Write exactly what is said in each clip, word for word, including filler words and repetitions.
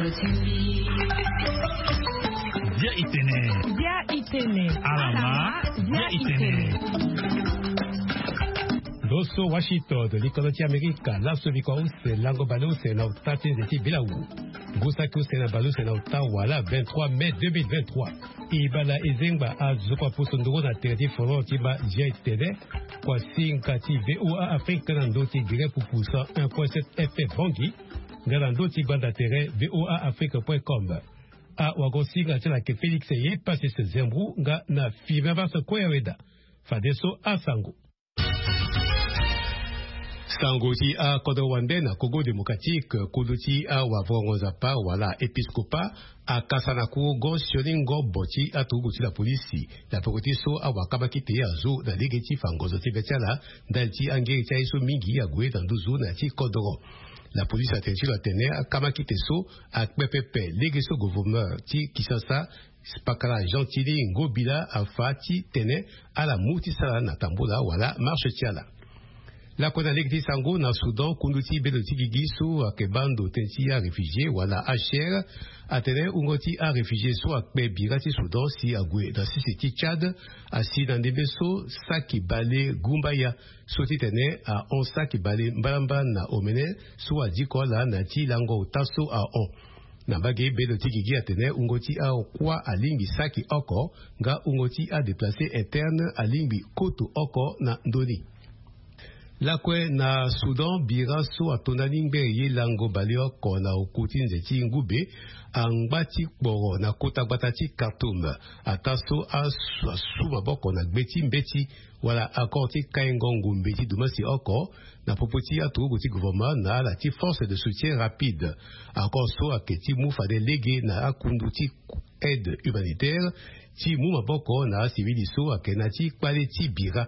Bia itene. Bia itene. Alama. Bia itene. Loso Washington, likolo ti Amerika, laso biko use lango baleuse na uta ti nze ti bilawu. Ngu saki use na baleuse na uta wala vingt-trois mai deux mille vingt-trois. Ibala ezengba azo kua poso ndoro na tere ti forum ti ma Bia itene. Kua singa ti VOA Afrique na ndo ti Guinée Pupu cent un point sept F M Bangui. Nga na ndo ti gbanda tere VOA Afrique point com. Awagosinga ti ala yeke Félix Ye Pasis Zembrou nga na Firmin Vasse Koyaweda. Fadeso asango. Sango ti akodro wande na Congo Démocratique, kodro ti awavurango nzapa wala épiscopat akasa na kuru go sioni ngobo ti aturugu ti la polisi na peko ti so awakamakite azo na lege ti fa ngonzo ti be ti ala ndali ti angeri ti aye so mingi ague na nduzu na ya ti kodro. La polisi atene ti lo atene akamakite so akpe pepe lege so gouverneur ti Kinshasa, Pakala Gentili Ngobila, afa ti tene ala mu ti sara na tambola wala marche ti ala. Lakue na lege ti sango na Soudan, kundu ti bendo ti gigi so ayeke baa ndo tënë ti aréfugié wala H C R atene wungo ti aréfugié so akpe bira ti Soudan si ague na sese ti Tchad asi na ndembe so saki bale gumbaya so ti tene ahon saki bale mbalambala na omene so adiko ala na ya ti lango ota so ahon. Na mbage bendo ti gigi atene wungo ti akuâ alingbi saki oko nga wungo ti adéplacé interne alingbi koto oko na ndö ni. Lakue na Soudan, bira so atonda ni ngbere ye lango baleoko na oku ti nze ti ngube angba ti kporo na kota gbata ti Khartoum, ataa so asu asu maboko na gbe ti mbeti wala accord ti kaingo ngumbe ti dumasi oko na popo ti aturugu ti gouvernement na ala ti force de soutien rapide. Accord so ayeke ti mu fade lege na akundu ti aide humanitaire ti mu maboko na asivili so ayeke na ya ti kpale ti bira.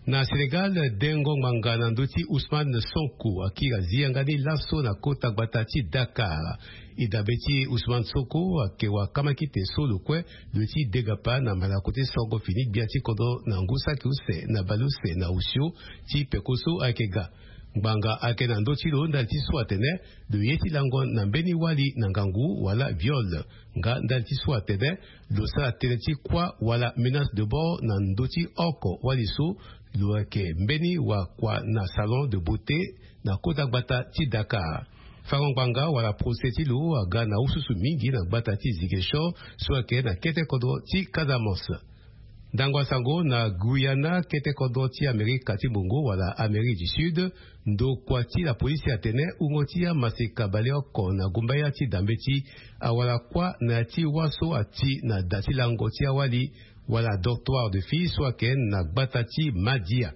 Na Sénégal, dengo ngbanga na ndö ti Ousmane Sonko akiri azia nga ni laso na kota gbata ti Dakar. E dabe ti Ousmane Sonko ayeke wakamakite so lo kue lo ye ti degapa na malako ti songo fini gbia ti kodro na ngu saki use na baleuse na osio ti peko so ayeke ga. Ngbanga ayeke na ndö ti lo ndali ti so atene lo ye ti lango na mbeni wali na ngangu wala viol. Nga ndali ti so atene lo sara tënë ti kuâ wala menace de mort na ndö ti oko wali so lo yeke mbeni wakua na salon de beauté na kota gbata ti Dakar. Fango ngbanga wala procès ti lo aga na ususu mingi na gbata ti Ziguinchor so ayeke na kete kodro ti Casamance. Ndango ya sango na Guyana, kete kodro ti Amerika ti Mungo wala Amérique du Sud, ndokua ti la polisi atene wungo ti amaseka baleoko na gumbaya ti dambeti awara kuâ na ya ti wâ so ati na da ti lango ti awali wala dortoir de filles so ayeke na gbata ti Madia.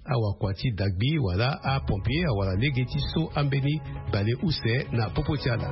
Awakua ti dagbi wala apompier awara lege ti so ambeni baleuse na popo ti ala.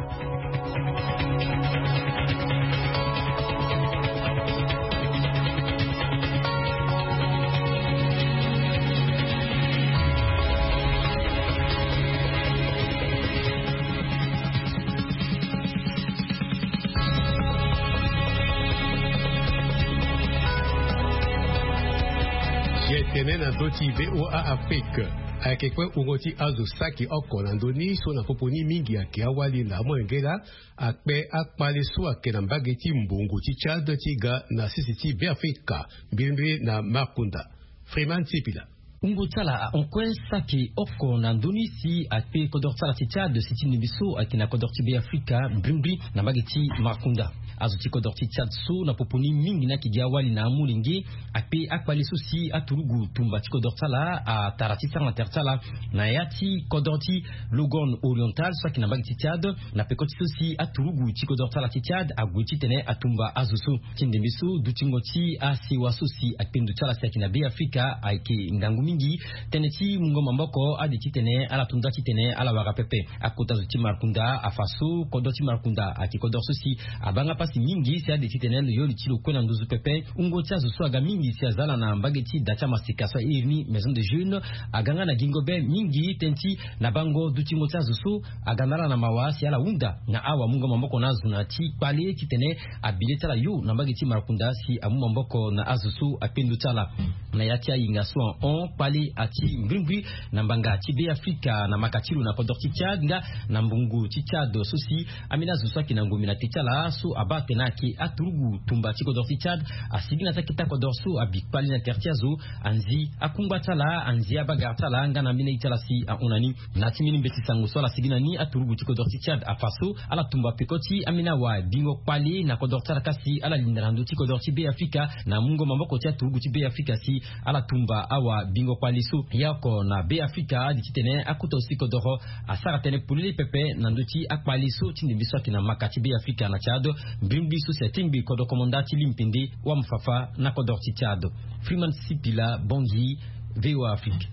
Ye tene na ndö ti VOA Afrique. Ayeke kue wungo ti azo saki oko na ndö ni so na popo ni mingi ayeke awali na amolenge laa akpe akpale so ayeke na mbage ti mbongo ti Tchad ti ga na sese ti Beafrika, mbrimbri na Markunda. Freeman Sipila. Wungo ti ala ahon kue saki oko na ndö ni si akpe kodro ti ala ti Tchad si ti ndembe so ayeke na kodro ti Beafrika, mbrimbri na mbage ti Markunda. Azo ti kodro ti Tchad so na popo ni mingi ni ayeke gi awali na amolenge akpe akpale so si aturugu tumba ti kodro ti ala atara ti sara na tere ti ala na ya ti kodro ti Logon Oriental so ayeke na mbage ti Tchad, na peko ti so si aturugu ti kodro ti ala ti Tchad ague titene atumba azo so. Ti ndembe so dutingo ti asewa so si akpe ndo ti ala si ayeke na Beafrika ayeke ngangu mingi. Tënë ti mungo maboko ade titene ala to nda titene ala wara pepe. Akota zo ti Markunda afa so kodro ti Markunda ayeke kodro so si abaa nga pasi mingi si ade titene lo yo li ti lo kue na nduzu pepe. Wungo ti azo so aga mingi si aza ala na mbage ti da ti amaseka so airi ni Maison de Jeunes aga nga na gingo be mingi tënë ti na bango dutingo ti azo so aga na ala na mawa si ala hunda na awamungo maboko na azo na ya ti kpale titene abi le ti ala yo na mbage ti Markunda si amu maboko na azo so akpe ndo ti ala. Na ya ti ayinga so ahon kpale ati mbrimbri na mbanga ti Be Afrika na maka ti lo na kodro ti Tchad nga na mbungu ti Tchad so si ambeni azo so ayeke na ngombe na te ti ala so abaa atene ayeke aturugu tumba ti kodro ti Tchad asigi na ti akete kodro so abi kpale na tere ti azo, anzi akungba ti ala, anzi abagara ti ala nga na ambeni aye ti ala si ahon na ni. Na ya ti mbeni mbeti sango so ala sigi na ni, aturugu ti kodro ti Tchad afa so ala tumba peko ti ambeni awa bingo kpale na kodro ti ala ka si ala linda na ndö ti kodro ti Be Afrika na mungo maboko ti aturugu ti Be Afrika si ala tumba awa bingo kpale so. Ye oko na Be Afrika adi titene akota aussi kodoro asara tënë polele pepe na ndö ti akpale so ti ndembe so ayeke na maka ti Be Afrika na Tchad. Mbrimbri so si atingbi kodro komanda ti limpende wa mufafa na kodro ti Tchad. Freeman Sipila, Bangui, VOA Afrique.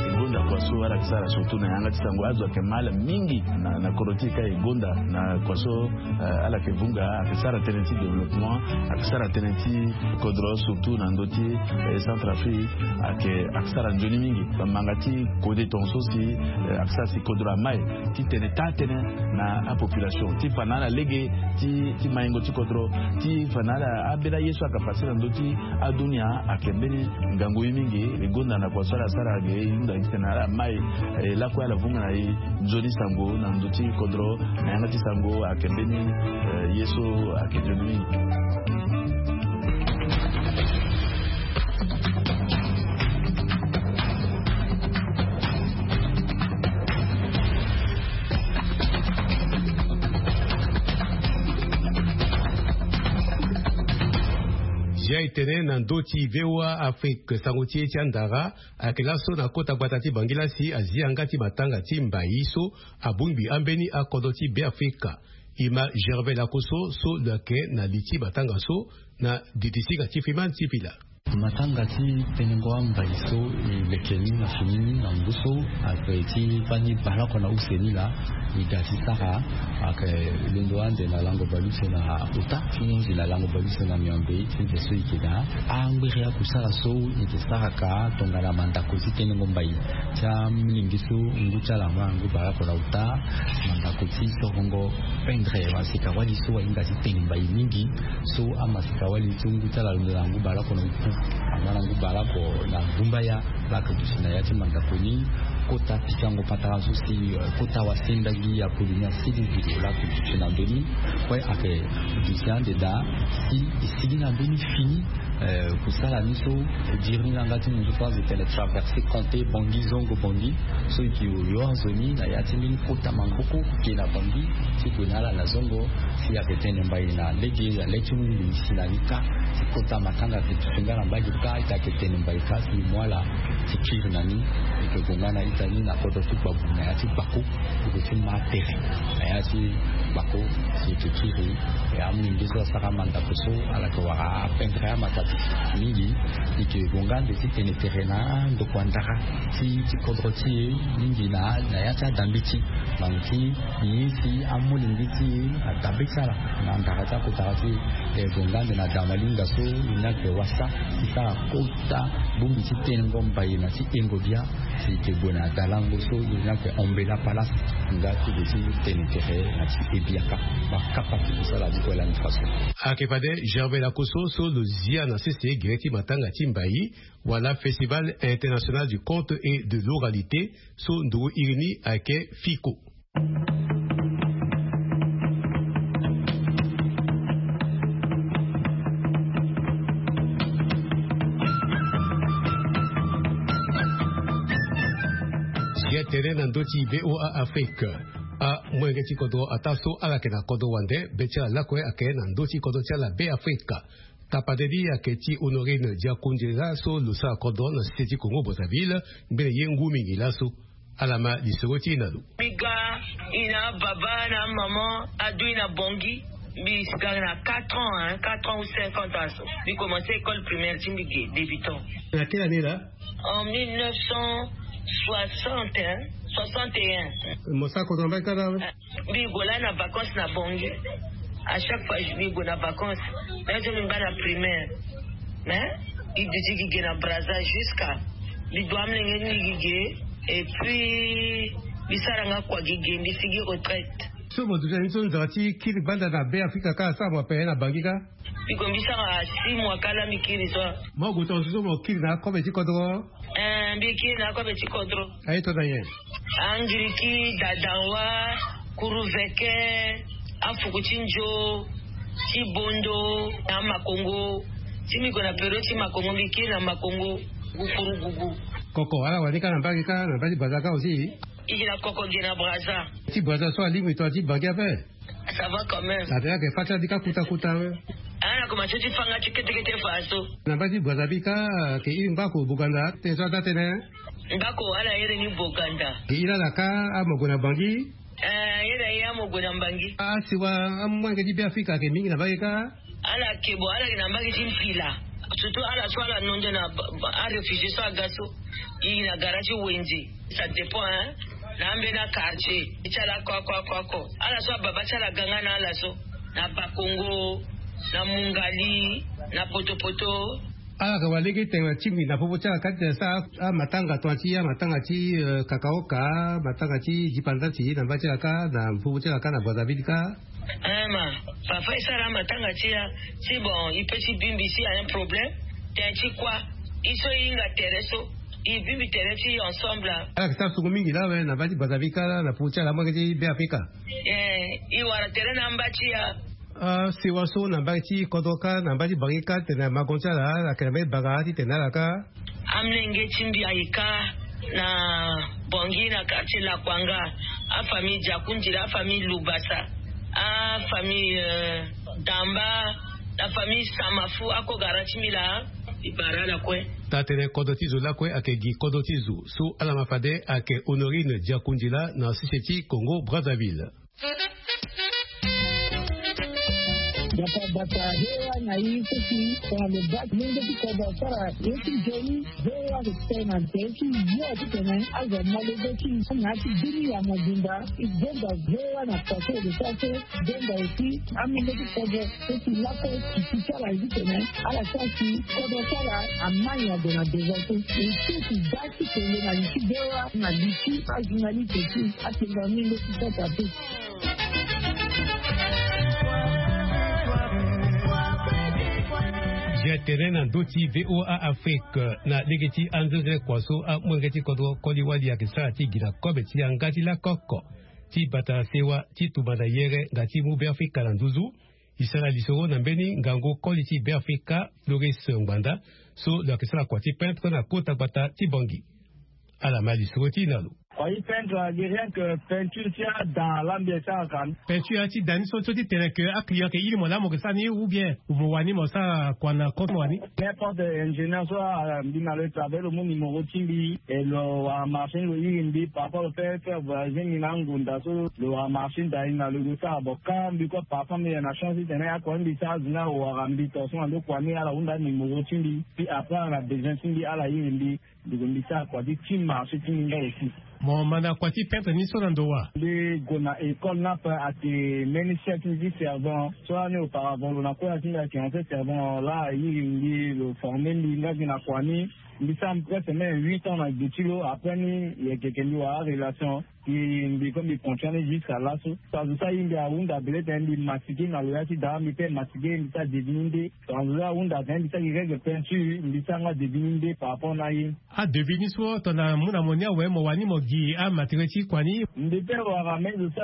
E gonda kua so ala yeke sara surtout na yanga ti sango, azo ayeke mal mingi na, na kodro ti e ka. E gonda na kua so, eh, ala yeke vunga, ayeke sara tënë ti développement, ayeke sara tënë ti kodro surtout na ndö ti, eh, Centrafrique, ayeke, ayeke sara nzoni mingi. Bamanga ti kode tongaso si, eh, ayeke sara si kodro amai titene taa tënë na apopulation ti fa na ala lege ti, ti maingo ti kodro, ti fa na ala ambeni aye so ayeke pase na ndö ti adunia. Ayeke mbeni ngangu ye mingi. E gonda na kua so ala sara ge, e hunda titene ala mai, eh, lakue ala vunga na e nzoni sango na ndö ti kodro na yanga ti sango. Ayeke mbeni, eh, ye so ayeke nzoni mingi. Zia e tene na ndö ti VOA Afrique, sango ti e ti andara ayeke laso na kota gbata ti Bangui la si azia nga ti matanga ti mbai so abongbi ambeni akodro ti Be Afrika. E ma Gervais Lakoso so lo yeke na li ti matanga so na didi singa ti Freeman Sipila. Matanga ti tenengo ambai so e leke ni na fini ni na ngu so, ayeke ti fani baleoko na use ni laa. E ga ti sara, ayeke londo ande na lango baleuse na ota ti hunzi na lango baleuse na miombe ti nze so e yeke daa. Angbiri akusala so e yeke saraka tongana mandako ti tenengo mbai ti amolenge so ngu ti ala angba na ngu baleoko na ota, mandako ti sorongo pendre masika wali so ahinga ti tene mbai mingi. So amasika wali so ngu ti ala alondo na ngu baleoko na oku angba na ngu baleoko na gumbaya. Laa ayeke duti na ya ti mandako ni. Kota pikango patara so si, eh, kota wasenda gi ya Polynésie asigi gi laa ayeke duti na ndö ni. Kue ayeke duti ande daa si e sigi na mbeni fini, eh, kusala ni so e diri ni na yanga ti munzu so azo e tene traverse Kanté, Bangui, Zongo, Bangui. So e ke yo nzoni na ya ti mbeni kota maboko ke na Bangui ti gue na ala na Zongo. Si ayeke tene mbai na lege na le ti ngulu si na ni kâ. Si kota matanga ayeke duti nga na mbage kâ, ita ayeke tene mbai kâ si e mu ala ti kiri na ni. E yeke gue nga na ita ni na kodro ti Gbabu na ya ti Gbako. E gue ti ma tere na ya ti Gbako si e yeke kiri. E amolenge so asara mandako so ala yeke wara apendre amatatu mingi. E yeke gue nga ande ti tene tere na andokua ndara ti, ti kodro ti e mingi na, na ya ti adambeti. Bango ti ye si amolenge ti e adambeti ala na ndara ti akotara ti e. E gue nga ande na damalinga so e ni ayeke wasa ti sara kota bongbi ti tenengo mbai na ti engo bia. Si e yeke gue na dalango so e ni ayeke Ombela Palace nga ti gue ti tene tere na ti e biaka. Bakapa ti kusala ni kue lani faso. Ayeke fade Gervais Lakoso so lo zia na sese gere ti matanga ti mbai wala Festival International du Conte et de l'Oralité so nduru iri ni ayeke FICO. Zia tene na ndö ti VOA Afrique. Amolenge ti kodro ataa so ala yeke na kodro wande be ti ala lakue ayeke na ndö ti kodro ti ala Be Afrika. Tapade ni ayeke ti Honorine Diakoundira so lo sara kodro na sese ti Congo Brazzaville, ngbene ye ngu mingi laso. Ala ma lisoro ti e na lo. Mbi ga e na ababa na amama adu e na Bangui. Mbi ga na quatre ans, hein, quatre ans ou cinq ans aso. Mbi commencé école primaire ti mbi ge débutant. Na quelle année là? En mille neuf cent soixante, hein, soixante et un. Mo sara kodro na mbage kâ na? Mbi gue laa na vacances na Bangui. À chaque fois mbi gue na vacances, même so mbi ngba na primaire. Mais mbi duti gi ge na Brazza jusqu'à mbi du amolenge ni gi ge. Et puis mbi sara nga kua gi ge, mbi sigi retraite. So mo duti na ni so nzara ti kiri gbanda na be afrika kâ asara mo ape na bangi kâ. Mbi gue mbi sara six mois kâ la mbi kiri so. Mo gue tonga so so mo kiri na akobe ti kodro. Eh, mbi kiri na akobe ti kodro. Aye to na nyen? Angiriki, dadanwa, kuruveke, afuku ti nzo, ti bondo, na makongo. Ti mbi gue na periode ti makongo mbi kiri na makongo. Gukuru gugu. Koko ala wani kâ na mbage kâ na mbage ti braza kâ aussi. Igi na koko gi na braza. Ti braza so alingbi to ti bangi ape. Ça va quand même. Atene ake fâ ti ala bi kâ kuta kuta we. Ana koma so ti fanga ti ketekete fa so. Na mbage ti braza bi kâ. Ke iri ngbako boganda tene so ada tene. Ngbako ala iri ni boganda. Ke iri ala kâ amo gue na bangi. Eh, iri aye amo gue na mbangi. Asiwa amolenge ti be afrika ake mingi na mbage kâ. Ala ke bo ala gi na mbage ti mpila. Surtout ala so ala nondo na aréfugié so aga so. Iri na gara ti wenze. Ça dépend hein. Na ambeni akartier ti ala ko ako ako ako ala so ababa ti ala ga nga na ala so. Na bakongo, na mungali, na potopoto. Ala yeke wara lege tene na tingbi na popo ti ala kâ ti tene sara amatanga tonga ti amatanga ti kakaoka, matanga ti dipandati na mba ti ala kâ na popo ti ala kâ na brazaville kâ. Ama papa e sara amatanga ti ya. Ti bon e pe ti bimbi si a un problème. Tene ti kua? E so e hinga tere so e bimbi tere ti ensemble. Ala yeke sara sungu mingi lawe na mba ti brazaville kâ la na popo ti ala amolenge ti be afrika. Eh, e wara tere na amba ti ya. Asewa so na mba ti kodro kâ na mba ti bangi kâ titene magon ti ala ala yeke na mba ti banga titene ala kâ. Amolenge ti mbi aye kâ na bangi na quartier lakwanga. Afamille diakundila, afamille lubasa, afamille damba, na famille samafu ako gara ti mbi laa. E bara ala kue. Taa-tënë kodro ti zo lakue ayeke gi kodro ti zo so ala ma fade ayeke honorine diakundila na sese ti congo brazzaville. Bata bata hewa na ye so si tongana lo baa ti lenge ti kodro asara ye ti nzoni. Hewa lo tene na nze ti yo ti tene azo malege ti na ya ti bini ya mobimba. E zonza hewa na pase lo sara so zonza aussi. Amolenge ti kodro so si lakue ti ti ti ala ye ti tene ala sara si kodro ti ala amai ague na devant so. E so ti baa ti kende na li ti hewa na li ti ajournaliste ti atenga amolenge ti sasa te. Zia tene na ndö ti voa afrique na lege ti anzenze kua so amolenge ti kodro koli wali ayeke sara ti gi na kobe ti yanga ti lakoko ti bata sewa ti tumba na yere nga ti mu be afrika na nduzu. E sara lisoro na mbeni ngangu koli ti be afrika floris ngbanda so lo yeke sara kua ti peintre na kota gbata ti bangi. Ala ma lisoro ti e na lo. Kua ti peintre agi rien que peinture ti ada lambi e saraka. Peinture ti da ni so so ti tene ke aclient ke iri mo laa mo ke sara ni ou bien mo wani mo sara kua na kota mo wani? N'importe ingénieur so ambi na lo e travail lo mu numéro ti mbi e lo wara marché ni lo iri mbi parfois lo fait faire voyager mbi na angunda so lo wara marché ni da ni na lo e go sara bon ka mbi kue parfois mbi yeke na chance ti tene akua ni mbi sara azo ni awara mbi tonga so na ndo kua ni ala hunda numéro ti mbi. Puis après ala na besoin ti mbi ala iri mbi. Mbi gue mbi sara kua ti ti marché ti mbi nga aussi. Mo ma na kua ti peintre ni so na ndo wa? Mbi gue na école ni ape ayeke mbeni chef ti mbi ti servant so lani auparavant lo na kue na ti mbi ayeke ancien servant laa airi mbi lo forme mbi nga gi na kua ni. Mbi sara presque même huit ans na gbe ti lo après ni e yeke yeke mbi wara arelation. Mbi mbi kue mbi continue ni jusqu'à laso. Azo so airi mbi ahunda bele tene mbi masike na lo ya ti daa mbi pe masike mbi sara devini nde. Azo so ahunda tene mbi sara gi règle peinture mbi sara nga devini nde par rapport na aye. Adevis ni so tongana mu na mo ni awe mo wani mo gi amateriel ti kua ni? Mbi pe wara me zo so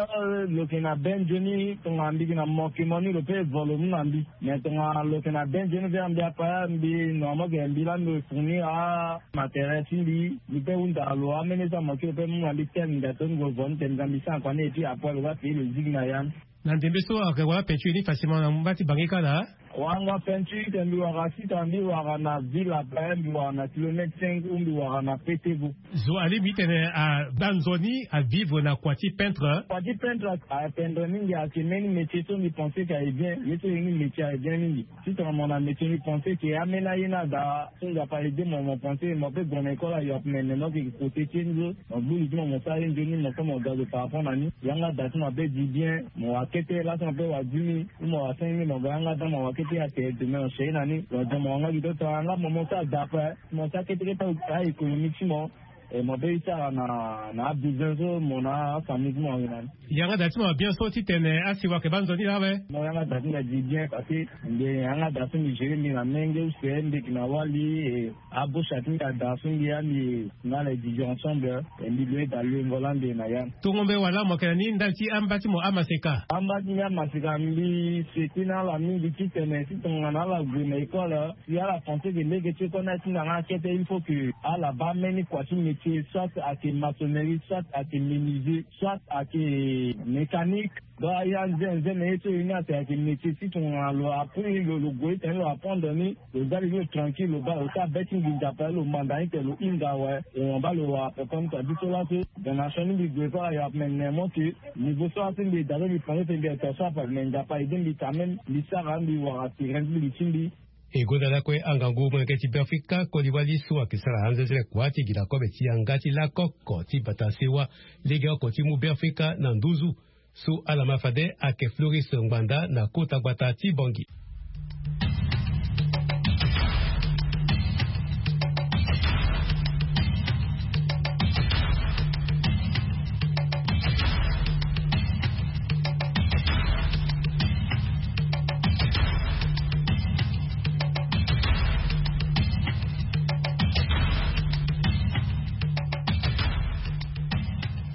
lo yeke na be nzoni tongana mbi gi na mo ke mo ni lo pe vo lo mu na mbi. Mais tongana lo yeke na be nzoni vere mbi apa mbi normalement ke mbi laa mbi fournir amateriel ti mbi. Mbi pe hunda lo amene so amoke lo pe mu na mbi tene nda toni gue vo ni tene nga mbi sara kua ni et puis après lo va payer lo zigi na ya ni. Na ndembe so ayeke wara peinture ni facilement na mba ti bangi kâ laa? Wanga peinture tene mbi wara sita mbi wara na ville ape mbi wara na kilomètre cinq ou mbi wara na petevo. Zo alingbi ti tene abaa nzoni avivre na kua ti peintre? Kua ti peintre apendre mingi ayeke mbeni métier so mbi pense ke aye bien ye so ye ni métier aye bien mingi. Si tongana mo na métier mbi pense ke ameni aye ni ada so nzapa aide mo mo pense mo pe gue na école ayo ape me me mo yeke kote ti ye ni so. Mo gbu li ti mo mo sara ye nzoni mo so mo ga zo par rapport na ni. Yanga da ti mo ape di bien mo wara kete laso mo pe wara dix mille ou mo wara cinq mille mo ga yanga da mo wara kete atene demain mo cherche na ni lo da mo wara nga gi to tongana nga mo mo sara da ape mo sara kete kete a économie ti mo. E mo be e sara na na abesoin so mo na afamille ti mo ayeke na ni. Yanga da ti mo abien so titene asi wake banzo ni laa awe. Mo yanga da ti nda di bien parce que mbi yanga da so mbi gere mbi na menge use mbi yeke na wali. E abosha ti mbi ada so mbi ya mbi na le didi ensemble. E mbi loe da loe ngola mbi na ya. Tongombe wala mo yeke na ni ndali ti amba ti mo amaseka? Amba ti mbi amaseka mbi seki na ala mingi titene si tongana ala gue na école si ala pense ke lege ti école ni atinda nga akete il faut que ala baa mbeni kua ti métier soit ayeke maçonnerie soit ayeke menuisier soit ayeke mécanique. Donc aya nze nze na ye so ye ni atene ayeke métier si tongana lo apris lo lo gue tene lo apprendre ni lo za lege lo tranquille lo baa lo sara be ti nginza ape lo manda ni tene lo hinga awe. Lo hon baa lo wara ape comme ça biso laso. Donation ni mbi gue so ala yo ape me ne mo ke niveau so laso mbi da so mbi pare te mbi ata so ape me nzapa aide mbi quand même mbi sara mbi wara terrain ti mbi ti mbi. E gonda lakue angangu molenge ti Beafrika koli wali so ayeke sara anzenzele kua ti gi na kobe ti yanga ti lakoko ti bata sewa legeoko ti mu Beafrika na nduzu. So ala ma fade ayeke Floris Ngbanda na kota gbata ti Bangui.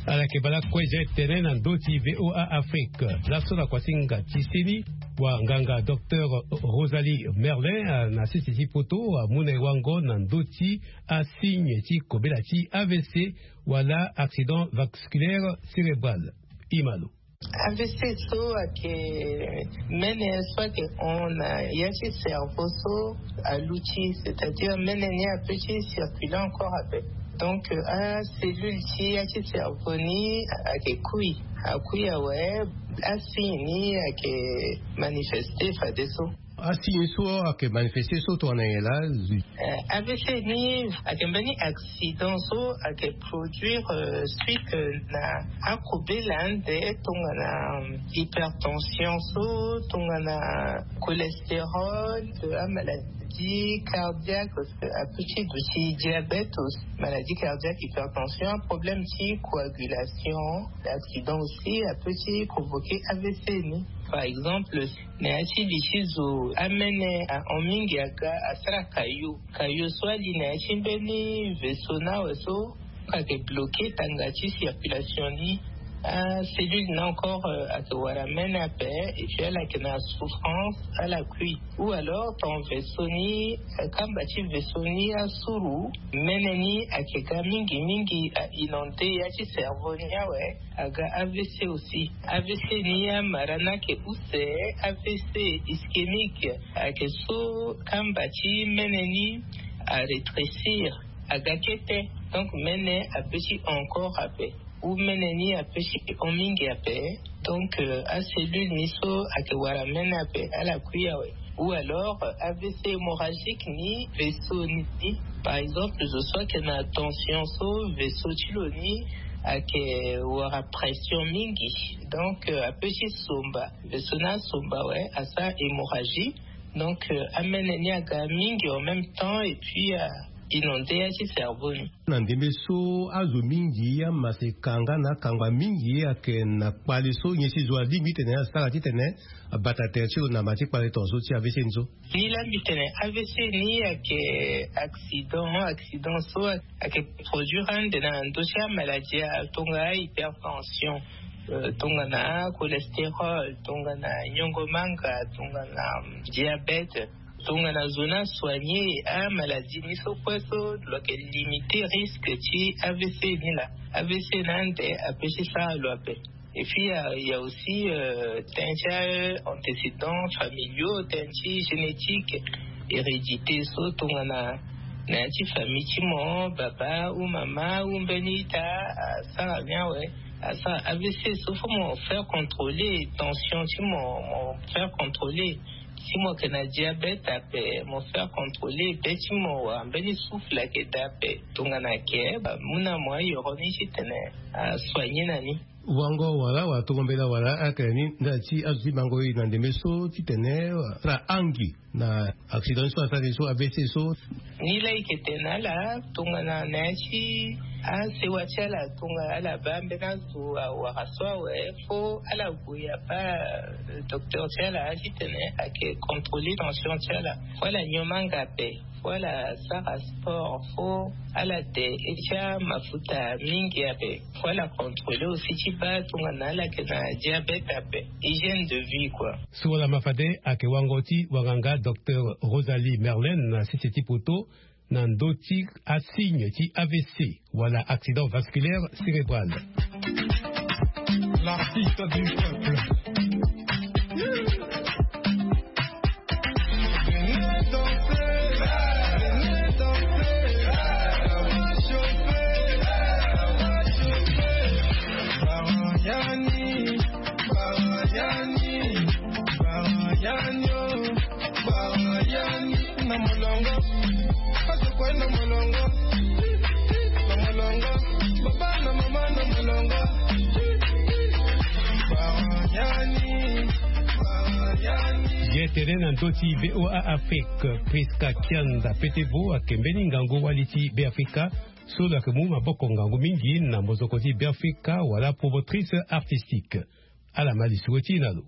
Ala yeke bala kue zia tene na ndö ti VOA Afrique laso na kuasinga ti seni. Wa nganga docteur Rosalie Merlin na sese ti poto amu na e wango na ndö ti asigne ti kobela ti A V C wala accident vasculaire cérébral. Imalo. A V C so ayeke mene so ayeke hon na ya ti cerveau so aluti c'est-à-dire mene ni ape ti circuler encore ape. Donc acellule ti ya ti cerveau ni ayeke kui akui awe. Asigne ni ayeke manifeste fadeso. Asigne so ayeke manifeste so tongana nyen laa? A V C ni ayeke mbeni accident so ayeke produire suite na akobela ande tongana hypertension so tongana cholestérol, amaladie cardiaque, ape ti duti diabète, maladie cardiaque, hypertension, problème ti coagulation. Accident aussi ape ti provoquer A V C ni. Par exemple na ya ti li ti zo amene ahon mingi aga asara kayo kayo so ali na ya ti mbeni vaisseau ni awe so ayeke bloquer tanga ti circulation ni. Acellule ni encore ayeke wara mene ape et puis ala yeke na souffrance ala kui ou alors ton vaisseau ni kamba ti vaisseau ni asuru mene ni ayeke ga mingi mingi a inonde ya ti cerveau ni awe. Aga A V C aussi. A V C ni amara ni ayeke use. A V C ischémique ayeke so kamba ti mene ni arétrécir aga kete. Donc mene ape ti encore ape ou mene ni ape ti hon mingi ape. Donc acellule ni so ayeke wara mene ape ala kui awe. Ou alors A V C hémorragique ni vaisseau ni. Par exemple zo so ayeke na tension so vaisseau ti lo ni ayeke wara pression mingi. Donc ape ti somba vaisseau ni asomba awe asara hémorragie. Donc amene ni aga mingi en même temps et puis inonde ya ti cerveau ni. Na ndembe so azo mingi amaseka nga na akangba mingi ayeke na kpale so nyen si zo alingbi titene asara titene abata tere ti lo na ma ti kpale tongaso ti A V C ni so. Ni laa mbi tene A V C ni ayeke accident accident so ayeke produire ande na ndö ti amaladie atonga hypertension, tongana cholestérol, tongana nyongo manga, tongana diabète, tongana zo ni asoigner amaladie ni so kue so lo yeke limiter risque ti A V C ni laa. A V C ni ande ape ti sara lo ape. Et puis il y a aussi tënë ti antécédents familiaux, tënë ti génétique, hérédité so tongana na ya ti famille ti mo baba ou mama ou mbeni ita asara ni awe. Asara A V C so faut mo faire contrôler tension ti mo mo faire contrôler. Si mo yeke na diabète ape mo faire contrôler be ti mo wala mbeni souffle ayeke daa ape. Tongana ayeke mu na mo ayoro ni titene asoigner na ni. Wango wala wala tongo mbela wala ayeke na ni ndali ti azo ti bango e na ndembe so titene asara angi na accident so asara ni so A V C so. Ni laa e yeke tene na ala tongana na ya ti Asewa ti ala tonga ala baa mbeni azo awara so awe, fo ala gue abaa docteur ti ala titene ake contrôler tension ti ala. Fo ala nyon manga ape, fo ala sara sport, fo ala de etia mafuta mingi ape, fo ala contrôler aussi ti baa tongana ala yeke na diabète ape. Hygiène de vie quoi. So wala ma fade ake wango ti wanganga docteur Rosalie Merlin na sese ti poto na ndö ti asigne ti A V C wala accident vasculaire cérébral. L'artiste du peuple. Ye tene na ndö ti V O A Afrique, Prisca Kianda Petevo ake mbeni ngangu wali ti Beafrika so lo yeke mu maboko ngangu mingi na mozoko ti Beafrika wala promotrice artistique. Ala ma lisoro ti e na lo.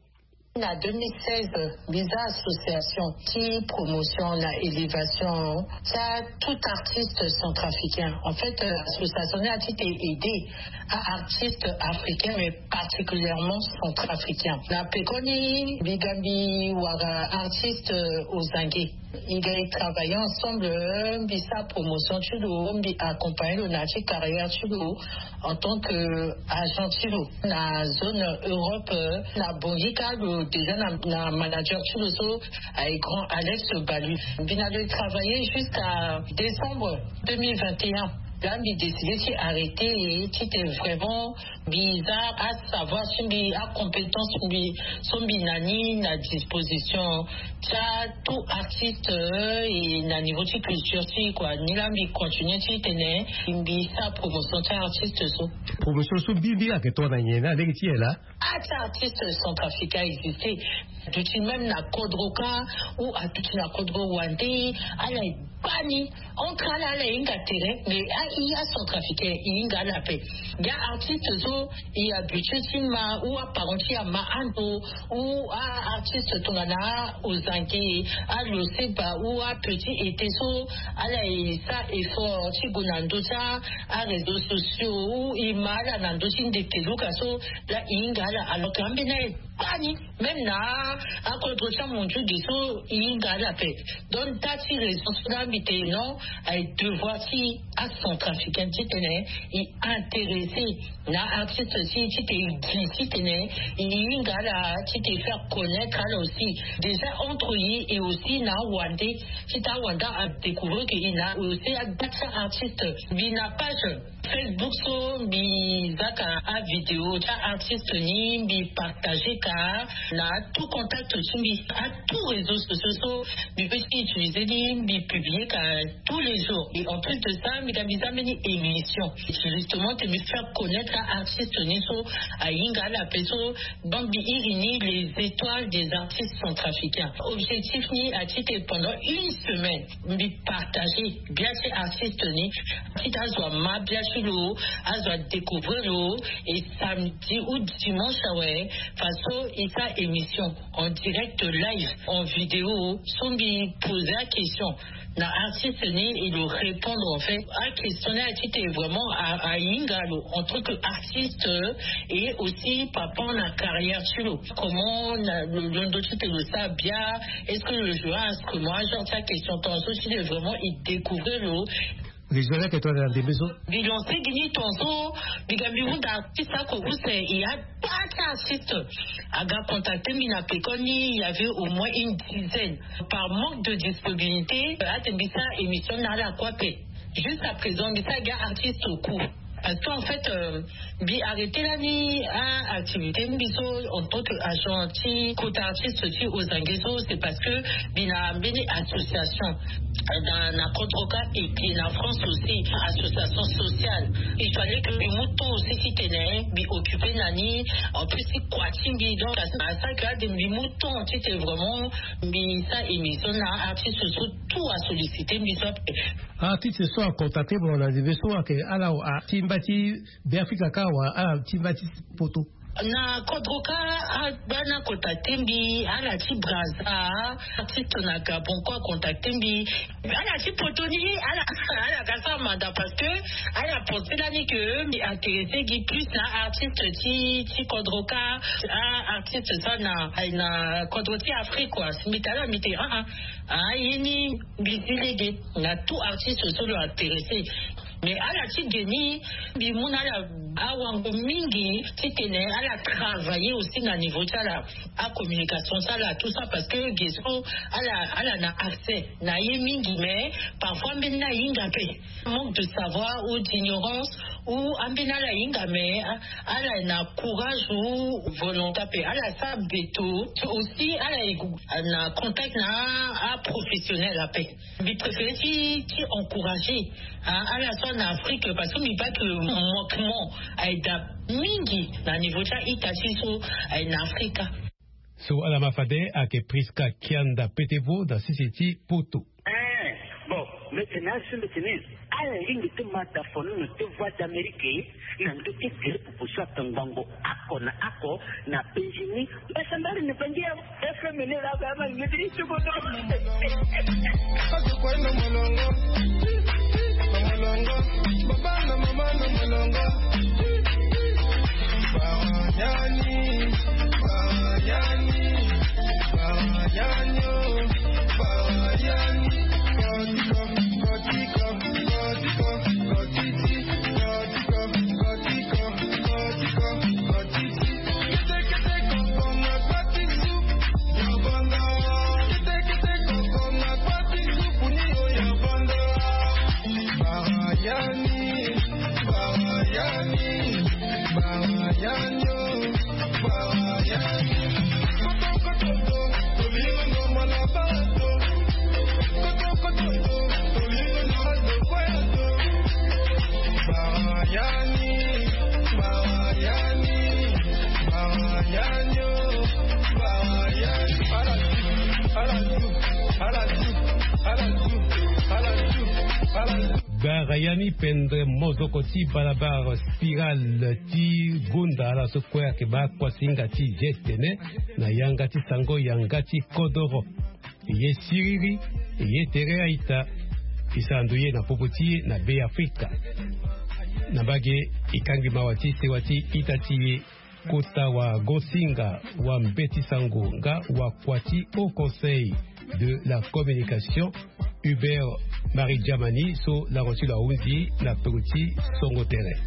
Na deux mille seize, mbi za association ti promotion na élévation ti tout artiste centrafricain. En fait, euh, association ni a ti te aider a artiste africain, mais particulièrement centrafricain. Na pekoni mbi ga mbi wara artiste, euh, ozange. Mbi ga travailler ensemble, euh, mbi sa promotion ti lo, mbi accompagner lo na ti carrière ti lo en tant que agent ti lo na zone Europe, euh, na Bangui ka lo déjà na, na manager ti lo so aye grand Alex Balu. Mbi na lo travailler jusqu'à décembre deux mille vingt et un. Là mbi décidé ti arrêter et ti te vraiment mbi za asavoir ti mbi, acompétence ti mbi so mbi na ni na disposition ti tout artiste, euh, et na niveau ti culture ti quoi. Ni la mbi continuer ti tene mbi sa promotion ti artiste so. Promotion so mbi mbi ayeke tongana nyen na lege ti e laa? Ah, ti artiste centrafricain existe. Aduti même na kodro ka, ou aduti na kodro wande, ala e baa ni. Entre ala, ala e hinga tere, mais a, i acentrafricain, i hinga ala ape. Ga artiste so i habitué ti ma, ou aparent ti ama ando, ou a artiste tongana ozange, aloseba, ou apetit été so, ala e sa effort ti gue na ndö ti aréseaux sociaux, ou i ma ala na ndö ti ndeke luka so, la i hinga ala. Alors que ambeni aye baa ni, même na akodro ti amondiuge so i hinga ala ape. Donc da ti raison so la mbi te non, aye devoir ti acentrafricain ti tene i intéressé na artiste ti, ti te i gi ti tene i hinga ala, ti te faire connaître ala aussi. Déjà entre i et aussi na awande, ti ta awande adécouvrir que i na aussi ada ti artiste. Mbi na page Facebook so mbi zaka avidéo ti artiste ni, mbi partager ka na tout contact ti mbi, a tout réseaux sociaux so mbi peut ti utiliser ni, mbi publier ka tous les jours. Et en plus de ça mbi ga mbi za mbeni émission justement te mbi faire connaître artiste ni so ahinga ala ape so. Donc mbi iri ni les étoiles des artistes centrafricains. Objectif ni a ti te pendant une semaine mbi partager bia ti artiste ni, ti ta azo ama bia ti lo, azo adécouvrir lo. Et samedi ou dimanche awe, façon i sa émission en direct live en vidéo so mbi poser aquestion na artiste ni, i lo répondre en fait aquestion ni a ti te vraiment ahinga lo en tant que artiste, et aussi par rapport na carrière ti lo, comment na lo londo ti te lo sa bia, est-ce que lo joue instrument, genre ti aquestion tonga so ti te vraiment i découvrir lo. Région leke tongana ndembe so. Mbi lancer gi ni tonga so mbi ga mbi hunda artiste oko use, i a taa ti artiste aga contacter mbi na pekoni, il y avait au moins une dizaine. Par manque de disponibilité ate mbi sa émission na ala kue ape. Jusqu'à présent mbi sa ga artiste au coup. Parce que en fait, mbi arrêté lani a activité mbi so en tant que agent ti kota artiste ti ozange so, c'est parce que mbi na mbeni association na kodroka et puis na France aussi, association sociale. Il fallait que mbi mu temps aussi titene mbi occupé na ni. En plus ti kua ti mbi, donc à ça que ade mbi mu temps titene vraiment mbi sa émission na artiste so tout a sollicité mbi so ape. Artiste so acontacté mo na ndembe so ayeke ala ti mba ti Beafrika kâ wala ala ti mba ti poto? Na kodroka, abana contacté mbi, ala ti Brazza, artiste na Gabon kue acontacté mbi. Ala ti poto ni ala ala ka sara manda parce que ala pensé lani que mbi intéressé gi plus na artiste ti ti kodroka. Ah, artiste so na na kodro ti Afrique kua. Mbi tala mbi te ah ah. Ah ye ni mbi zi lege na tout artiste so lo intéressé. Mais ala ti ge ni mbi mu na ala awango mingi titene ala travailler aussi na niveau ti ala, acommunication ti ala tout ça parce que ge so ala ala na accès na ye mingi mais parfois mbeni ahinga pe, manque de savoir ou d'ignorance ou ambeni ala hinga mais ala na courage ou volonté pe ala sa beto aussi ala na contact na aprofessionnel ape. Mbi préféré ti ti encourager ala so na Afrique parce que mbi baa que manquement aye daa mingi na niveau ti a-ita ti so aye na Afrika. So ala ma fade ayeke Prisca Kianda Petevo na sese ti Poto. Eh, bon, mbi tene asi mbi tene ala lingbi ti ma da fono na te Voix d'Amérique na ndö ti gere pupu so atongbango oko na oko na penzi ni. Mbasa mbali ni pangi ya F M ni la ba ma ni ti tuko to. Gbara yani pendre mozoko ti balabala spirale ti gonda ala so kue ayeke baa kuasinga ti geste tene na yanga ti sango yanga ti kodoro. Ye siriri, ye tere a-ita. E sara ndo ye na popo ti e na Beafrika. Na mbage e kangbi mawa ti sewa ti ita ti e. Kota wagosinga wa mbeti sango nga wakua ti Haut Conseil de la Communication, Hubert Marie Germany, so lango ti lo ahunzi na peko ti songo tere.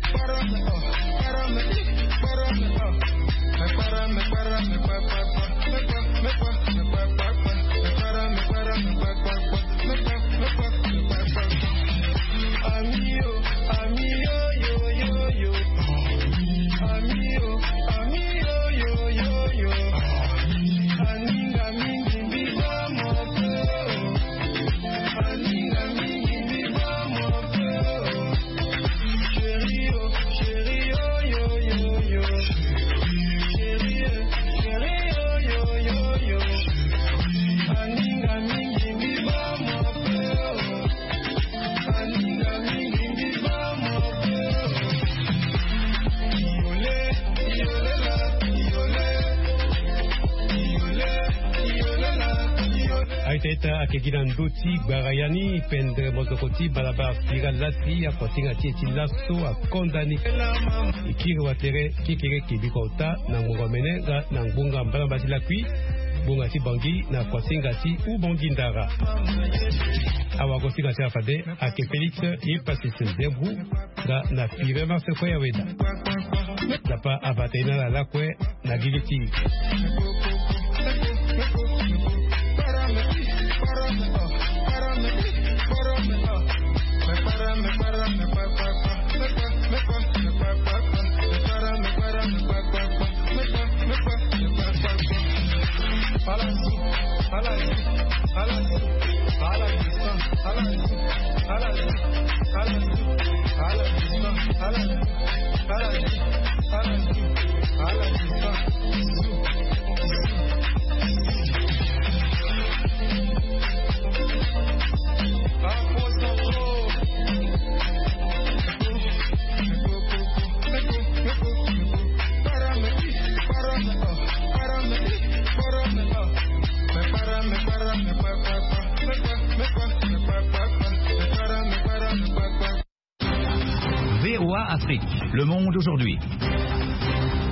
Aita ita ayeke gi na ndö ti gbara yani pendre mozoko ti balabala spirale lasi akuasinga ti e ti laso akonda ni. E kiri watere kekereke bikota na ngbonga mene nga na ngbonga mbalamba ti lakui, ngbonga ti bangi na kuasinga ti ubongi ndara. Awagosinga ti ala fade ayeke Félix Epasis Nzembu nga na Pire Marse Koyaweda. Tapa abata ye na ala lakue na gigi ti V O A Afrique, le monde aujourd'hui.